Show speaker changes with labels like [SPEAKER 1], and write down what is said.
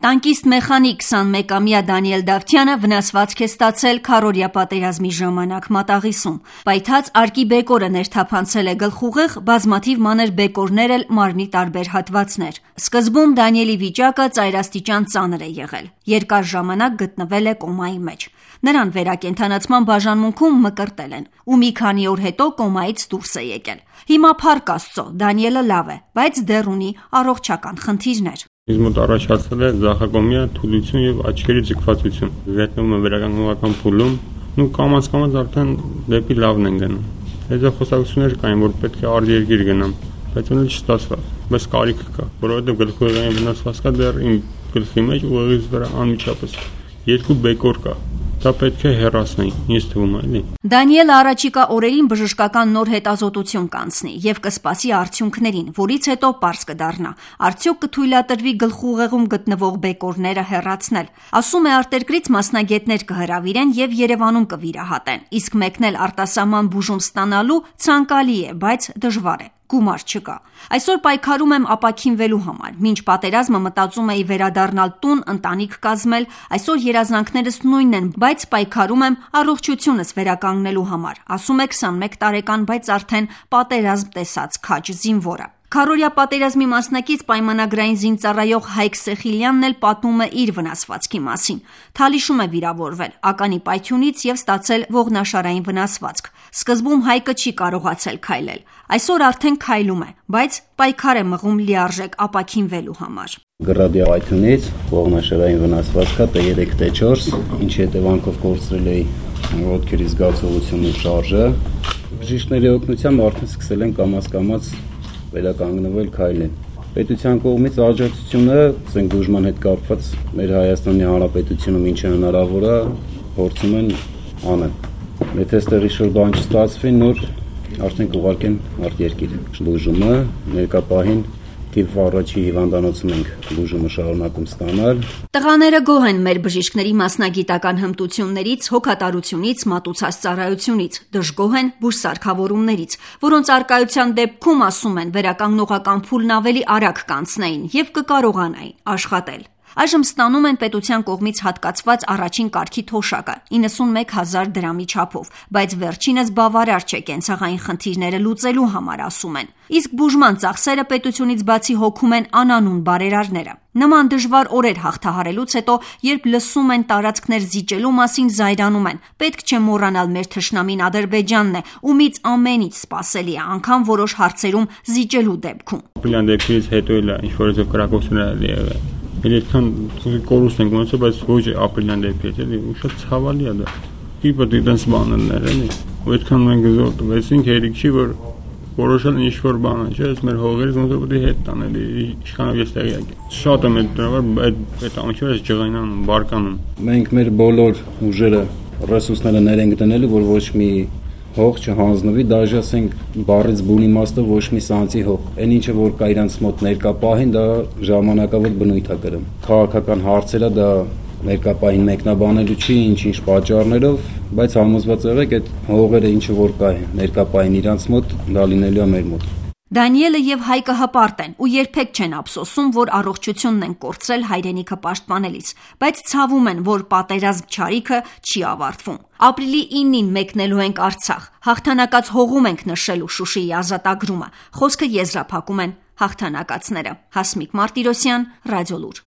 [SPEAKER 1] Տանկիստ մեխանիկ 21-ամյա Դանիել Դավթյանը վնասվածք է ստացել քառօրյա պատերազմի ժամանակ Մատաղիսում։ Պայթած արկի բեկորը ներթափանցել է գլխուղեղ, բազմաթիվ մանր բեկորներ էլ մարմնի տարբեր հատվածներ։ Սկզբում Դանիելի վիճակը ծայրաստիճան ծանր է եղել։ Երկար ժամանակ գտնվել է կոմայի մեջ։ Նրան վերակենդանացման բաժանմունքում մկրտել են ու մի քանի օր հետո կոմայից դուրս է եկել։ Հիմա փառք Աստծո, Դանիելը լավ է, բայց դեռ ունի առողջական խնդիրներ։
[SPEAKER 2] Ինձ մոտ առաջացել է ձախակողմյա թուլություն եւ աչքերի ձգվածություն։ Գտնվում եմ վերականգնողական փուլում, ու կամաց արդեն դեպի լավն են գնում։ Հետո խոսակցություններ կային, որ պետք է արտերկիր գնամ, բայց ոնց չստացավ։ Բայց կարիք կա, որովհետեւ գլխուղեղային վնասվածքա դեռ իմ գլխի մեջ ուղեղից վրա անմիջապես 2 բեկոր կա։ Դա պետք է հեռացնի, ինձ թվում է, էլի։
[SPEAKER 1] Դանիելը առաջիկա օրերին բժշկական նոր հետազոտություն կանցնի եւ կսպասի արդյունքներին, որից հետո պարզ կդառնա, արդյոք կթույլատրվի գլխուղեղում գտնվող բեկորները հեռացնել։ Ասում է, արտերկրից մասնագետներ կհրավիրեն եւ Երևանում կվիրահատեն, իսկ մեկնել արտասահման բուժում ստանալու ցանկալի է, բայց դժվար է։ Գումար չկա։ Այսօր պայքարում եմ ապաքինվելու համար։ Մինչ պատերազմը մտածում էի վերադառնալ տուն, ընտանիք կազմել, այսօր երազանքներս նույնն են, բայց պայքարում եմ առողջությունս վերականգնելու համար, ասում է 21 տարեկան, բայց արդեն պատերազմ տեսած քաջ զինվորը։ Քառօրյա պատերազմի մասնակից պայմանագրային զինծառայող Հայկ Սեխիլյանն էլ պատմում է իր վնասվածքի մասին։ Թալիշում է վիրավորվել, ականի պայթյունից եւ ստացել ողնաշարային վնասվածք։ Սկզբում Հայկը չի կարողացել քայլել։ Այսօր արդեն քայլում է, բայց պայքար է մղում լիարժեք ապաքինվելու համար։
[SPEAKER 3] Գրադի պայթյունից ողնաշարային վնասվածքա T3 T4, ինչի հետևանքով կորցրել էի ոտքերի զգացողությունն ու շարժը։ Բժիշկների օգնությամբ արդեն սկսել են կամաց վերականգնվել քայլեն։ Պետության կողմից աջակցությունը բուժման հետ կապված մեր Հայաստանի Հանրապետությունում ինչ հնարավոր է փորձում են անել։ Եթե այստեղ ինչ-որ բան չստացվի, նոր արդեն կուղարկեն արտերկիր բուժումը, ներկա պահին թիվ առաջի հիվանդանոցում ենք բուժումը շարունակում ստանալ։
[SPEAKER 1] Տղաները գոհ են մեր բժիշկների մասնագիտական հմտություններից, հոգատարությունից, մատուցած ծառայությունից, դժգոհ են բուժսարքավորումներից, որոնց առկայության դեպքում, ասում են, վերականգնողական փուլն ավելի արագ կանցնեին եւ կկարողանային աշխատել։ Այժմ ստանում են պետության կողմից հատկացված առաջին կարգի թոշակը 91,000 դրամի չափով, բայց վերջինս բավարար չէ կենցաղային խնդիրները լուծելու համար, ասում են։ Իսկ բուժման ծախսերը պետությունից բացի հոգում են անանուն բարերարները։ Նման դժվար օրեր հաղթահարելուց հետո, երբ լսում են տարածքներ զիջելու մասին, զայրանում են։ Պետք չէ մոռանալ մեր թշնամին Ադրբեջանն է, ումից ամենից սպասելի է, անգամ որոշ հարցերում զիջելու դեպքում։
[SPEAKER 2] Ապրիլյան դեպքից հետո էլ ինչ-որ կրակոցներ եղել։ Այդքան կորուստ ենք ունեցել, բայց ոչ ապրիլյան դեպքից, էլի, ու շատ ցավալի է դա։ Իբր դիտենց բաներն էլի։ Ու այդքան մենք զոր տվեցինք, հերիք չի, որ որոշել ինչ-որ բան է, չէ՞, ես մեր հողերից ոնց որ պետք է հետ տանել, իշխանով ես տեղյակ եմ։ Շատ եմ այդ ամիջը ջղայնանում, բարկանում։
[SPEAKER 3] Մենք մեր բոլոր ուժերը, ռեսուրսները ներենք դնելու, որ ոչ մի հող չհանձնվի, դաժե ասենք բառից բուն իմաստը ոչ մի սանձի հող։ Այն ինչը որ կա իրանց մոտ ներկա պահին, դա ժամանակավոր բնույթ է կրում։ Քաղաքական հարցերը դա ներկա պահին մեկնաբանելու չի, ինչ պատճառներով, բայց համոզված եղեք այդ հողերը ինչը որ կա ներկա պահին իրանց մոտ, դա լինելու է մեր մոտ։
[SPEAKER 1] Դանիելը եւ Հայկը հպարտ են ու երբեք չեն ափսոսում, որ առողջությունն են կորցրել հայրենիքը պաշտպանելիս, բայց ցավում են, որ պատերազմ չարիքը չի ավարտվում։ Ապրիլի 9-ին մեկնելու ենք Արցախ, հաղթանակած հողում ենք նշելու Շուշիի ազատագրումը։ Խոսքը եզրափակում են հաղթանակածները։ Հասմիկ Մարտիրոսյան, Ռադիոլուր։